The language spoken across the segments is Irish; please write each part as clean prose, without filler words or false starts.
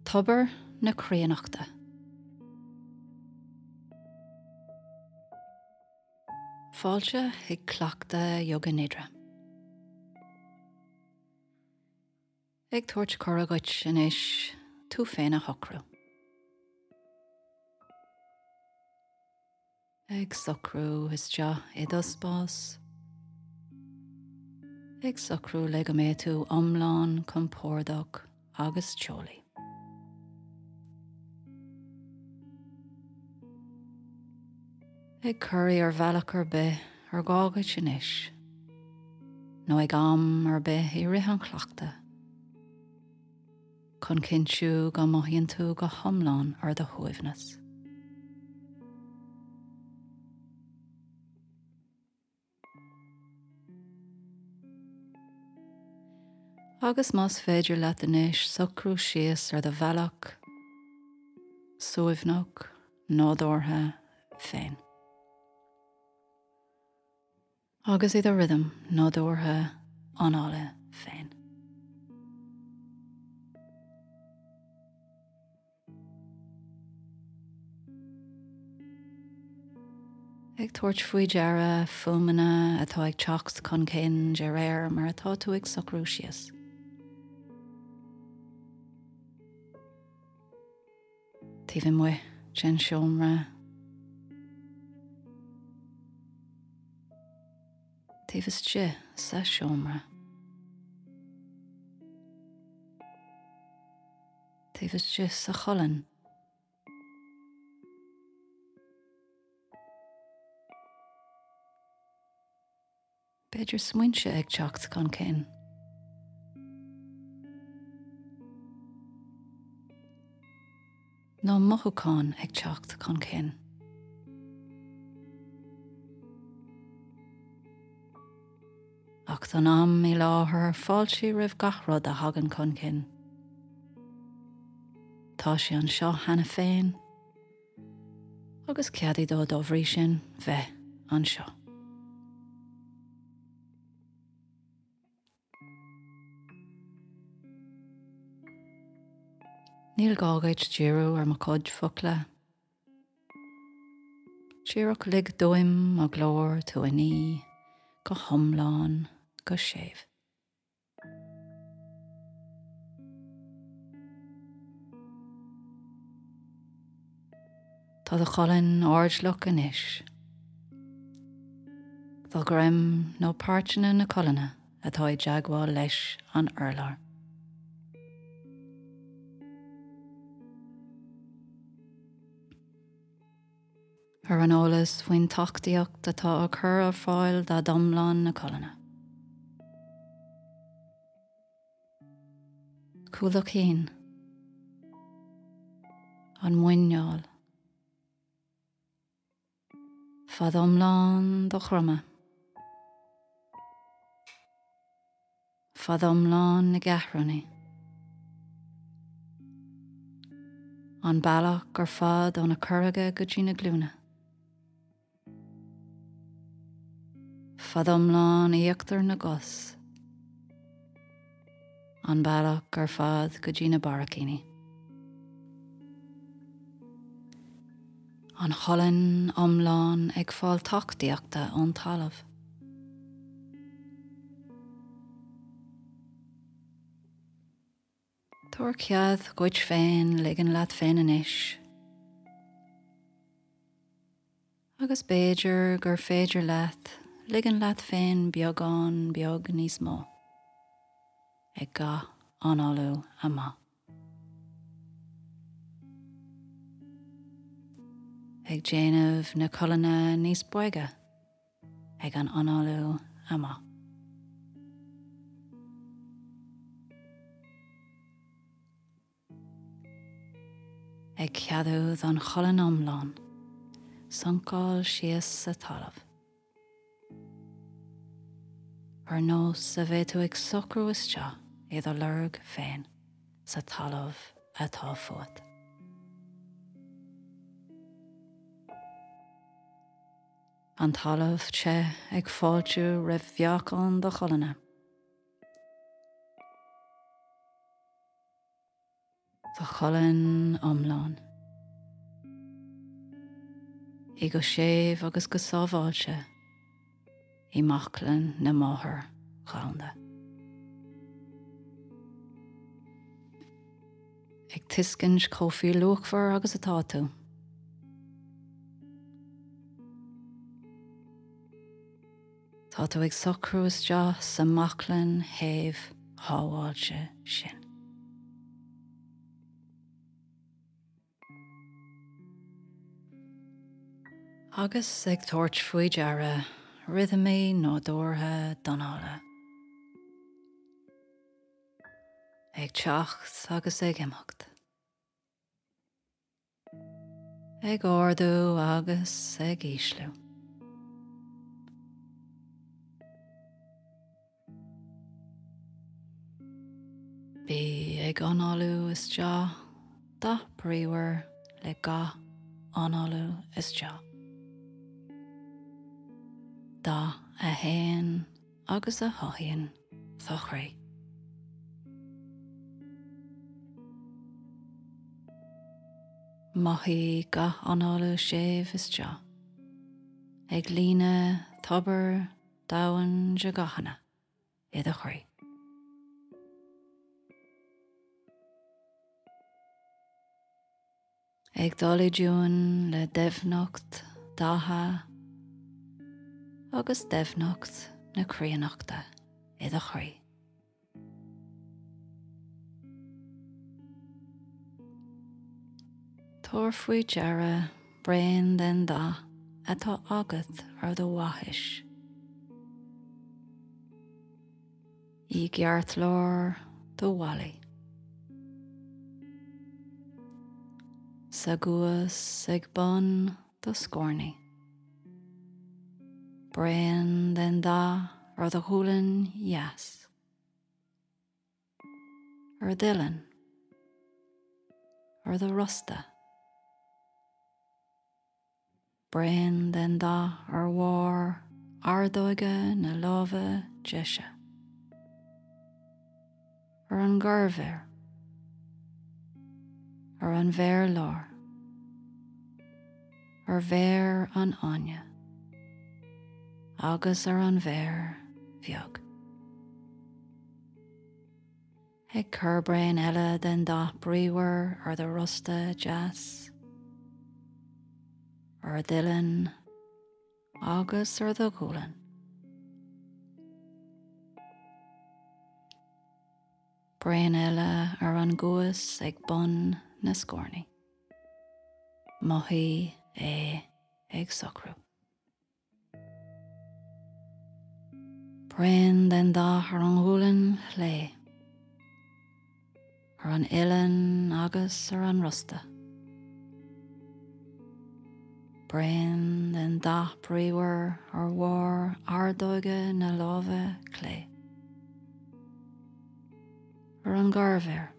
Tobar na Críonnachta. Fáilte chuig cleachtadh Yoga Nidra. Ag tabhairt cuireadh dhuit anois tú féin a shocrú. Ag socrú isteach i do spás. Ag socrú le go mbeidh tú iomlán compordach agus teolaí. Ag corraí ar bhealach ar bith ar gá dhuit anois, nó ag am ar bith i rith an chleachtaidh, chun cinntiú go mothaíonn tú go hiomlán ar do shuaimhneas. Agus más féidir leat anois socrú síos ar do bhealach suaimhneach nádúrtha féin. Agus i do rithim nádúrtha anála féin. Ag tabhairt faoi deara fuaimeanna atá ag teacht chun cinn de réir mar atá tú ag socrú síos. Taobh amuigh den seomra. Taobh istigh sa seomra. Taobh istigh sa cholainn. B'fhéidir smaointe ag teacht chun cinn. Nó mothúcháin ag teacht chun cinn. Ach don am i láthair, fáilte roimh gach rud a thagann chun cinn. Tá sé anseo cheana féin, agus ceadaigh dó dá bhrí sin bheith anseo. Níl gá dhuit díriú ar mo chuid focla. Díreach lig d'fhuaim mo ghlór tú a ní go hiomlán go séimh. Tá do cholainn airdeallach anois. Do dhroim nó páirteanna na colainne atá i dteagmháil leis an urlár. Ar an eolas faoin tacaíocht atá á cur ar fáil d'fhad iomlán na colainne. Cúl do chinn. An muineál. Fad iomlán do dhroma. Fad iomlán na gceathrúnaí. An bealach ar fad ó na corraga go dtí na glúine. Fad iomlán íochtar na gcos. An bealach ar fad go dtí na barraicíní. An cholainn iomlán ag fáil tacaíochta ón talamh. Tabhair cead dhuit féin ligean leat féin anois. Agus b'fhéidir gur féidir leat ligean leat féin beagán beag níos mó ag gach análú amach. Ag déanamh na colainne níos boige ag an análú amach. Ag ceadú don cholainn iomlán suncáil síos sa talamh. Ar nós a bheadh tú ag socrú isteach i do lorg féin sa talamh atá fút. An talamh te ag fáiltiú roimh mheáchan do cholainne. Do cholainn iomlán. Í go séimh agus go sábháilte i mbaclainn na Máthar Dhomhanda. Ag tuiscint chomh fíorluachmhar agus atá tú. Tá tú ag socrú isteach sa mbaclainn shéimh shábháilte sin. Agus ag tabhairt faoi deara rithimí nádúrtha d'anála. Ag teacht agus ag imeacht. Ag ardú agus ag ísliú. Bí ag análú isteach dath bríomhar le gach análú isteach. Dath a théann agus a chothaíonn do chroí. Mothaigh gach análú séimh isteach, ag líonadh tobar domhain de dhathanna i do chroí. Ag dul i dtiúin le doimhneacht datha agus doimhneacht na críonnachta i do chroí. Tabhair faoi deara braon den dath atá agat ar do bhaithis. I gceartlár do mhalaí. Sa gcuas ag bun do scornaí. Braon den dath ar do ghualainn dheas. Ar d'uillinn. Ar do rosta. Braon den dath ar bharr ordóige na láimhe deise. Ar an gcorrmhéar. Ar an mhéar láir. Ar mhéar an fháinne. Agus ar an mhéar bheag. Ag cur braon eile den dath bríomhar ar do rosta deas, ar d'uillinn agus ar do ghualainn. Braon eile ar an gcuas ag bun na scornaí. Mothaigh é ag socrú. Braon den dath ar an ghualainn chlé, ar an uillinn agus ar an rosta. Braon den dath bríomhar ar bharr ordóige na láimhe clé, ar an gcorrmhéar,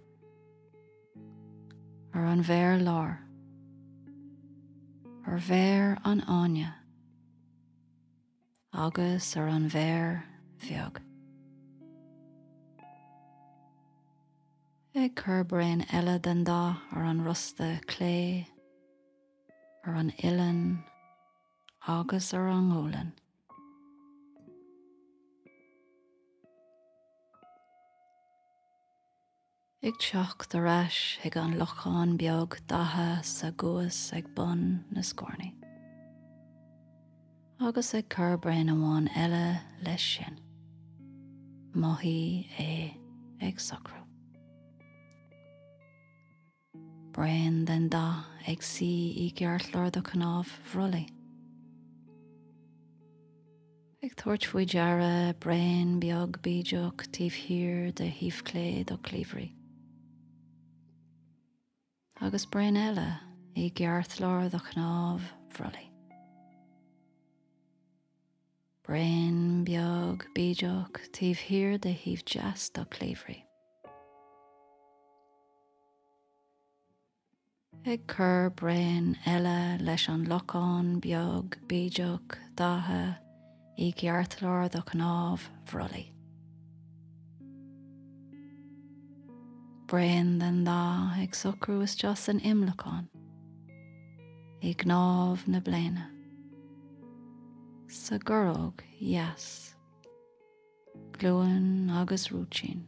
ar an mhéar láir, ar mhéar an fháinne agus ar an mhéar bheag. Ag cur braon eile den dath ar an rosta clé, ar an uillinn agus ar an ngualainn. Ag teacht ar ais chuig an lochán beag datha sa gcuas ag bun na scornaí. Agus ag cur braon amháin eile leis sin. Mothaigh é ag socrú. Braon den dath ag suí i gceartlár do chnámh bhrollaigh. Ag tabhairt faoi deara braon beag bídeach taobh thiar de thaobh clé do chliabhraigh. Agus braon eile i gceartlár do chnámh bhrollaigh. Braon beag bídeach taobh thiar de thaobh deas do chliabhraigh. Ag cur braon eile leis an lochán beag bídeach datha i gceartlár do chnámh bhrollaigh. Braon den dath ag socrú isteach san imleacán i gcnámh na bléine, sa gcorróg dheas, glúin agus rúitín.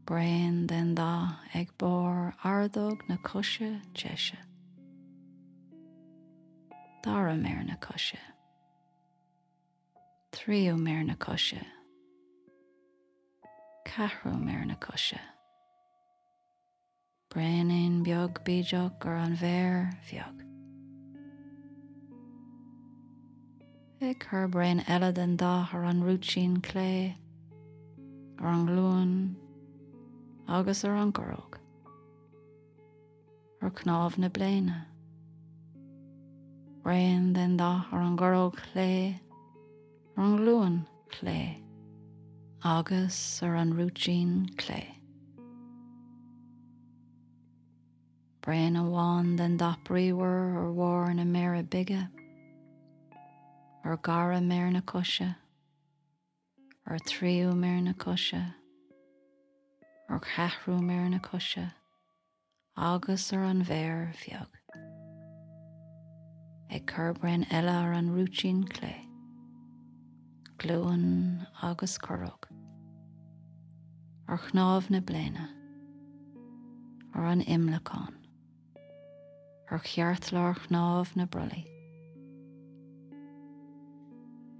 Braon den dath ag barr ordóg na coise deise, dara méar na coise. Tríú méar na coise. Ceathrú méar na coise. Braoinín beag bídeach ar an mhéar bheag. Ag cur braon eile den dath ar an rúitín clé, ar an nglúin agus ar an gcorróg. Ar chnámh na bléine. Braon den dath ar an gcorróg chlé, ar an nglúin chlé agus ar an rúitín clé. Braon amháin den dath bríomhar ar bharr na méire bige, ar dhara méar na coise, ar thríú méar na coise, ar cheathrú méar na coise, agus ar an mhéar bheag. Ag cur braon eile ar an rúitín clé, glúin agus corróg. Ar chnámh na bléine. Ar an imleacán. Ar cheartlár chnámh na brollaí.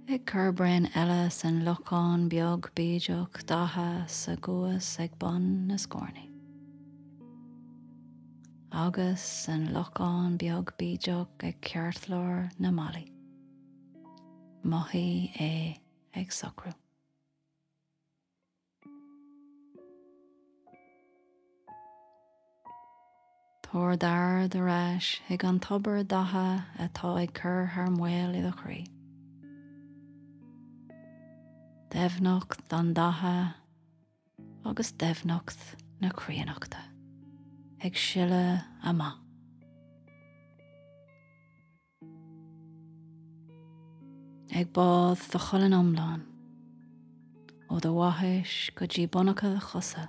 Ag cur braon eile san lochán beag bídeach datha sa gcuas ag bun na scornaí. Agus san lochán beag bídeach ag ceartlár na malaí. Mothaigh é ag socrú. Tabhair d'aird ar ais chuig an tobar datha atá ag cur thar maoil i do chroí. Doimhneacht an datha agus doimhneacht na críonnachta ag sileadh amach. Ag bádh do cholainn iomlán, ó do bhaithis go dtí bonnacha do chosa.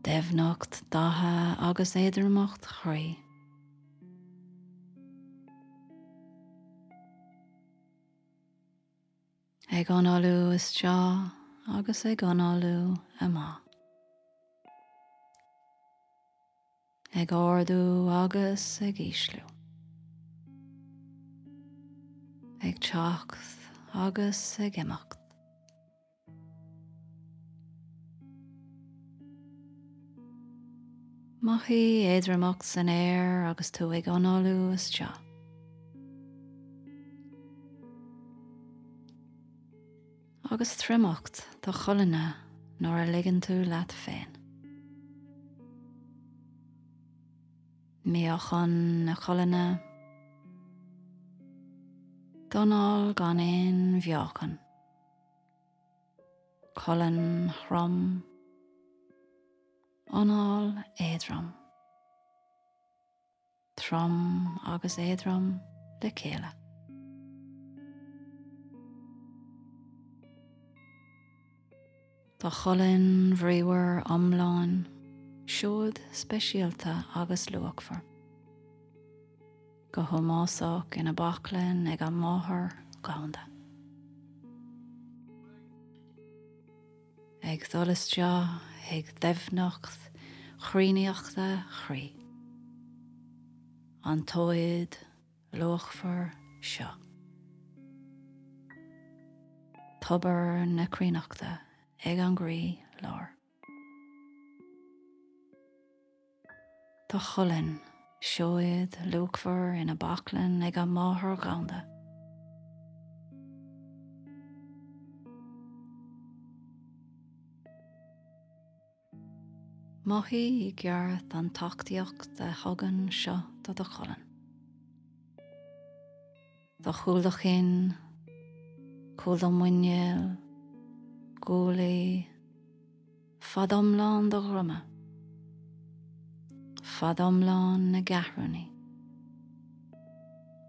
Doimhneacht datha agus éadromacht chroí. Ag análú isteach agus ag análú amach. Ag ardú agus ag ísliú. Ag teacht agus ag imeacht. Mothaigh éadromacht san aer agus tú ag análú isteach. Agus triomacht do cholainne nuair a ligeann tú leat féin. Míochain na colainne. D'anáil gan aon mheáchan. Colainn throm. Anáil éadrom. Trom agus éadrom le chéile. Do cholainn bhríomhar iomlán, seoid speisialta agus luachmhar. Go hómósach ina baclainn ag an Máthair Dhomhanda. Ag dul isteach chuig doimhneacht chruinneachta chroí. An tseoid luachmhar seo. Tobar na críonnachta ag an gcroí lár. Do cholainn, seoid luachmhar ina baclainn ag an Máthair Dhomhanda. Mothaigh i gceart an tacaíocht a thugann seo do do cholainn. Do chúl do chinn, cúl do mhuinéil, guaillí, fad iomlán do dhroma, fad iomlán na gceathrúnaí,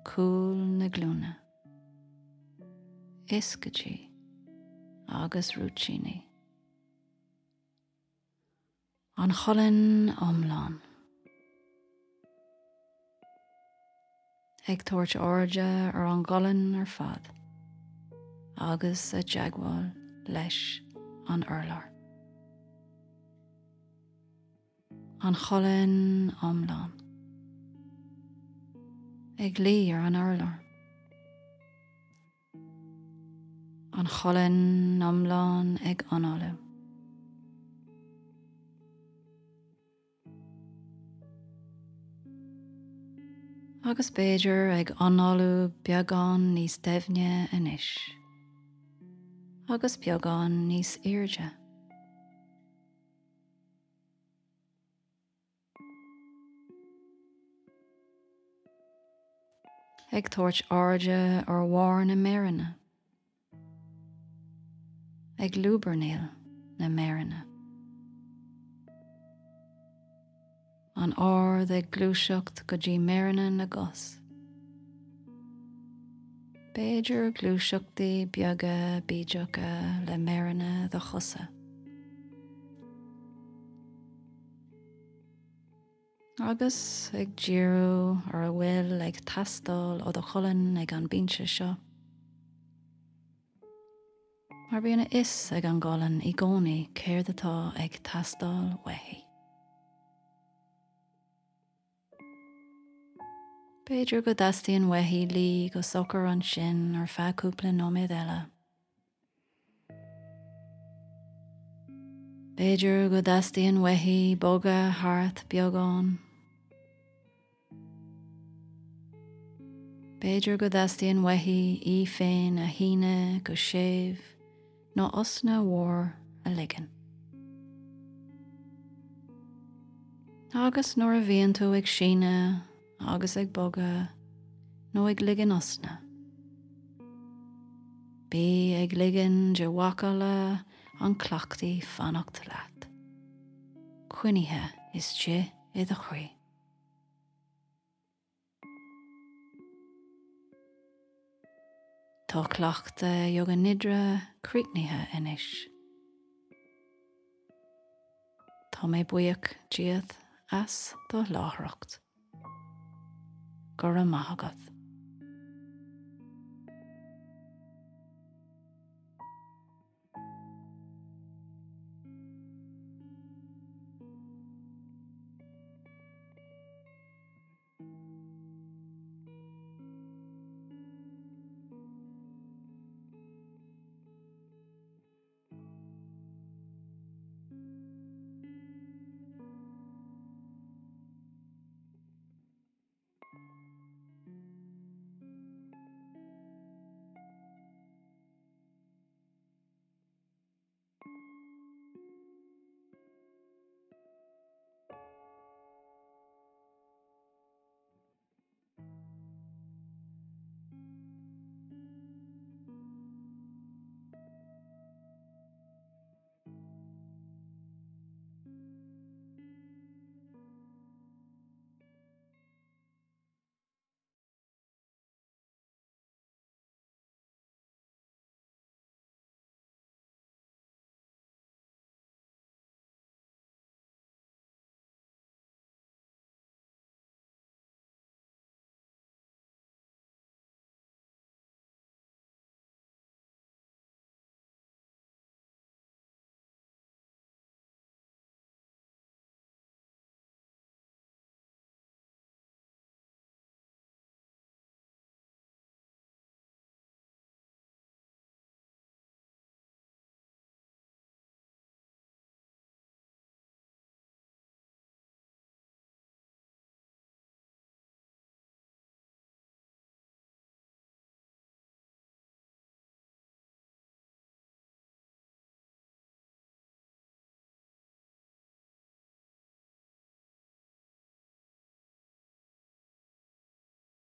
cúl na glúine, is go dtí. Agus rúitíní. An cholainn iomlán. Ag tabhairt airde ar an gcolainn ar fad agus i dteagmháil leis an urlár. An cholainn iomlán. Ag luí ar an urlár. An cholainn iomlán ag análú. Agus b'fhéidir ag análú beagán níos doimhne anois. Agus beagán níos airde. Ag tabhairt airde ar bharr na méireanna. Ag lúbarnaíl na méireanna. An aird ag gluaiseacht go dtí méireanna na gcos. B'fhéidir gluaiseachtaí beaga bídeacha le méireanna do chosa. Agus ag díriú ar a bhfuil ag teastáil ó do cholainn ag an bpointe seo. Mar bíonn a fhios ag an gcolainn i gcónaí céard atá ag teastáil uaithi. B'fhéidir go dteastaíonn uaithi luí go socair ansin ar feadh cúpla nóiméad eile. B'fhéidir go dteastaíonn uaithi bogadh thart beagán. B'fhéidir go dteastaíonn uaithi í féin a shíneadh go séimh nó osna mhór a ligean. Agus nuair a bhíonn tú ag síneadh agus ag bogadh nó ag ligean osna. Bí ag ligean de mhacalla an chleachtaidh fanacht leat, coinnithe istigh i do chroí. Tá cleachtadh Yoga Nidra críochnaithe anois. Tá mé buíoch díot as do láithreacht. Go raibh maith agat.